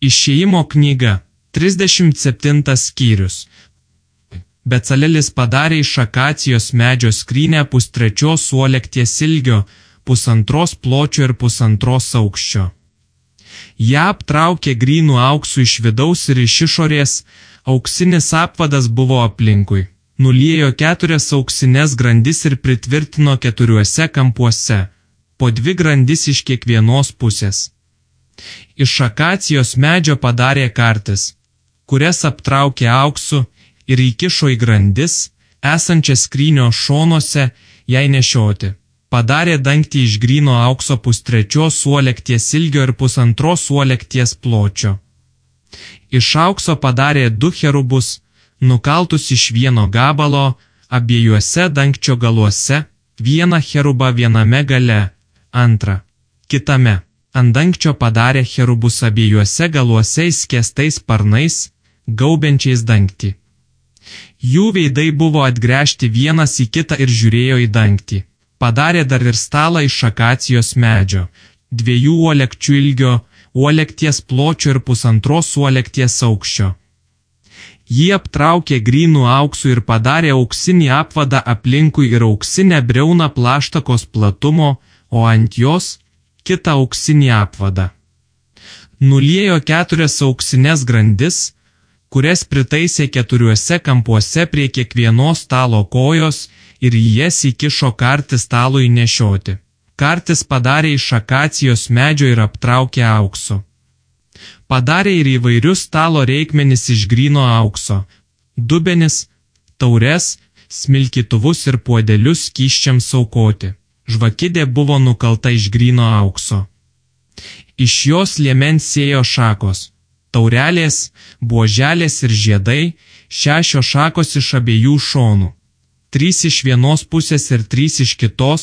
Išėjimo knyga, 37 skyrius. Becalelis padarė iš akacijos medžio skrynę 1/3 suolekties ilgio, 1,5 pločio ir 1,5 aukščio. Ją aptraukė grynų auksų iš vidaus ir iš išorės, auksinis apvadas buvo aplinkui. Nuliejo 4 auksines grandis ir pritvirtino 4 kampuose, po 2 grandis iš kiekvienos pusės. Iš akacijos medžio padarė kartis, kurias aptraukė auksu ir įkišo į grandis, esančią skrynio šonuose, jai nešioti. Padarė dangtį iš gryno aukso 1/3 suolekties ilgio ir 1,5 suolekties pločio. Iš aukso padarė 2 cherubus, nukaltus iš vieno gabalo, abiejuose dangčio galuose, vieną cherubą viename gale, antrą kitame. Ant dangčio padarė cherubus abiejuose galuose įskėstais sparnais, gaubiančiais dangtį. Jų veidai buvo atgręžti vienas į kitą ir žiūrėjo į dangtį. Padarė dar ir stalą iš akacijos medžio, 2 uolekčių ilgio, uolekties pločio ir 1,5 uolekties aukščio. Jį aptraukė grynų auksų ir padarė auksinį apvadą aplinkui ir auksinę briauną plaštakos platumo, o ant jos kitą auksinį apvadą. Nuliejo 4 auksines grandis, kurias pritaisė 4 kampuose prie kiekvienos stalo kojos ir į jas įkišo kartį stalui nešioti. Kartis padarė iš akacijos medžio ir aptraukė auksu. Padarė ir įvairius stalo reikmenis iš gryno aukso, dubenis, taures, smilkytuvus ir puodelius skysčiams aukoti. Žvakidė buvo nukalta iš gryno aukso. Iš jos liemens sėjo šakos, taurelės, buoželės ir žiedai, 6 šakos iš abiejų šonų, 3 iš vienos pusės ir 3 iš kitos,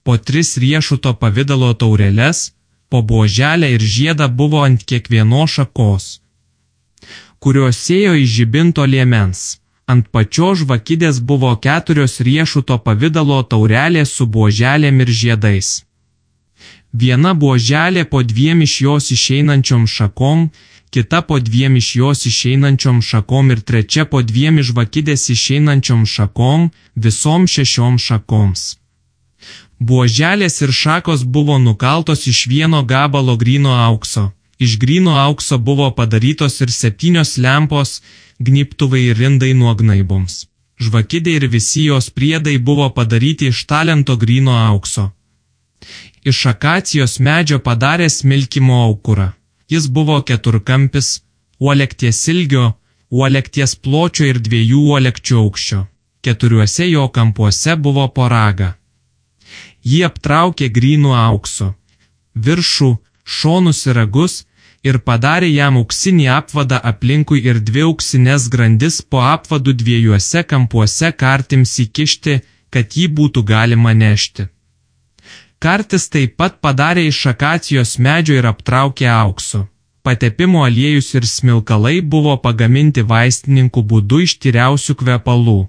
po 3 riešuto pavidalo taureles, po buoželę ir žiedą buvo ant kiekvienos šakos, kurios sėjo iš žibinto liemens. Ant pačios žvakidės buvo 4 riešuto pavidalo taurelės su buoželėm ir žiedais. Viena buoželė po 2 iš jos išeinančiom šakom, kita po 2 iš jos išeinančiom šakom ir 3 po 2 iš žvakidės išeinančiom šakom, visom 6 šakoms. Buoželės ir šakos buvo nukaltos iš vieno gabalo gryno aukso. Iš gryno aukso buvo padarytos ir 7 lempos, gnybtuvai ir indai nuo gnaiboms. Žvakidė ir visi jos priedai buvo padaryti iš talento gryno aukso. Iš akacijos medžio padarė smilkymo aukurą. Jis buvo 4-kampis, uolekties ilgio, uolekties pločio ir 2 uolekčių aukščio. 4 jo kampuose buvo po ragą. Jį aptraukė grynu auksu, viršų, šonus ir ragus, ir padarė jam auksinį apvadą aplinkui ir 2 auksines grandis po apvadų 2 kampuose kartims įkišti, kad jį būtų galima nešti. Kartis taip pat padarė iš akacijos medžio ir aptraukė auksu. Patepimo aliejus ir smilkalai buvo pagaminti vaistininkų būdu iš tyriausių kvepalų.